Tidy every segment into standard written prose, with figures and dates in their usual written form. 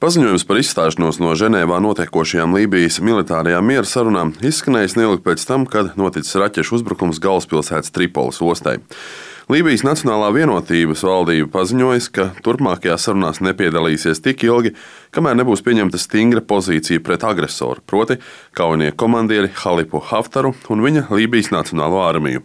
Paziņojums par izstāšanos no Ženēvā notiekošajām Lībijas militārajām miera sarunām izskanējis neilgi pēc tam, kad noticis raķešu uzbrukums galvaspilsētas Tripolis ostai. Lībijas Nacionālā vienotības valdība paziņoja, ka turpmākajās sarunās nepiedalīsies tik ilgi, kamēr nebūs pieņemta stingra pozīcija pret agresoru, proti kaujinieku komandieri Halifu Haftaru un viņa Lībijas Nacionālo armiju.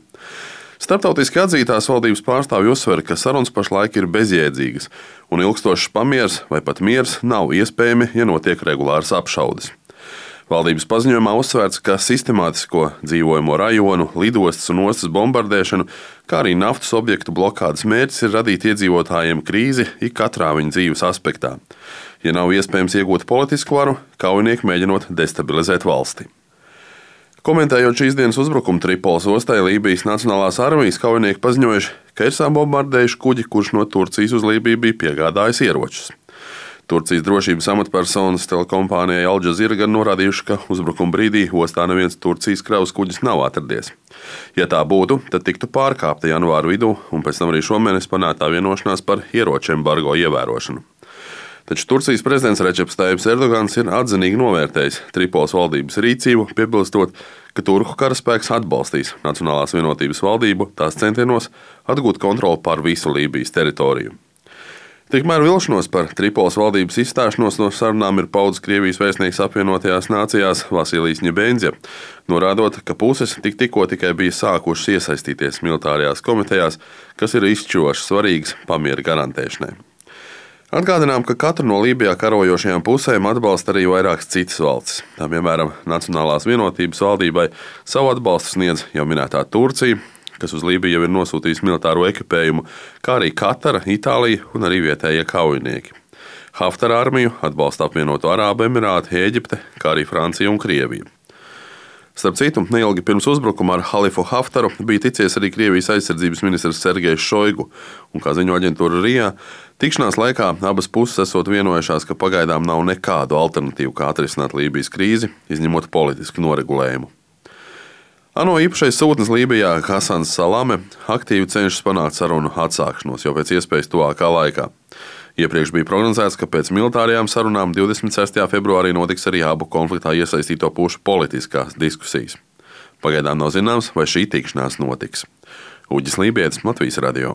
Starptautiski atzītās valdības pārstāvji uzsver, ka sarunas pašlaik ir bezjēdzīgas, un ilgstošs pamieris vai pat miers nav iespējami, ja notiek regulāras apšaudes. Valdības paziņojumā uzsvērts, ka sistemātisko dzīvojamo rajonu, lidostas un ostas bombardēšanu, kā arī naftas objektu blokādes mērķis ir radīt iedzīvotājiem krīzi katrā viņa dzīves aspektā. Ja nav iespējams iegūt politisku varu, kaujinieki mēģinot destabilizēt valsti. Komentējot šīs dienas uzbrukumu Tripolis ostai, Lībijas Nacionālās armijas kaujinieki paziņojuši, ka ir sabombardējuši kuģi, kurš no Turcijas uz Lībiju bija piegādājis ieročus. Turcijas drošības amatpersonas telekompānijai Al Jazeera gan norādījuši, ka uzbrukuma brīdī ostā neviens Turcijas kravas kuģis nav atradies. Ja tā būtu, tad tiktu pārkāpta janvāra vidū un pēc tam arī šomēnes panāktā vienošanās par ieroču embargo ievērošanu. Taču Turcijas prezidents Redžeps Tajibs Erdogans ir atzinīgi novērtējis Tripolis valdības rīcību, piebilstot, ka turku karaspēks atbalstīs Nacionālās vienotības valdību tās centienos atgūt kontroli pār visu Lībijas teritoriju. Tikmēr vilšanos par Tripolis valdības izstāšanos no sarunām ir paudis Krievijas vēstnieks apvienotajās nācijās Vasilijs Ņebenzja, norādot, ka puses tikko tikai bija sākušas iesaistīties militārajās komitejās, kas ir izšķiroši svarīgas pamiera garantēšanai. Atgādinām, ka katru no Lībijā karojošajām pusēm atbalsta arī vairākas citas valstis. Tā piemēram, Nacionālās vienotības valdībai savu atbalstu sniedz jau minētā Turcija, kas uz Lībiju jau ir nosūtījusi militāro ekipējumu, kā arī Katara, Itālija un arī vietējie kaujinieki. Haftara armiju atbalsta apvienoto Arābu Emirāti, Ēģipte, kā arī Francija un Krievija. Starp citu, neilgi pirms uzbrukuma ar Halifu Haftaru bija ticies arī Krievijas aizsardzības ministrs Sergejs Šoigu, un, kā ziņo aģentūra RIA, tikšanās laikā abas puses esot vienojušās, ka pagaidām nav nekādu alternatīvu, kā atrisināt Lībijas krīzi, izņemot politisku noregulējumu. ANO īpašais sūtnis Lībijā Hasans Salame aktīvi cenšas panākt sarunu atsākšanos jau pēc iespējas tuvākā laikā. Iepriekš bija prognozēts, ka pēc militārajām sarunām 26. februārī notiks arī abu konfliktā iesaistīto pušu politiskās diskusijas. Pagaidām nav zināms, vai šī tikšanās notiks. Uģis Lībietis, Latvijas radio.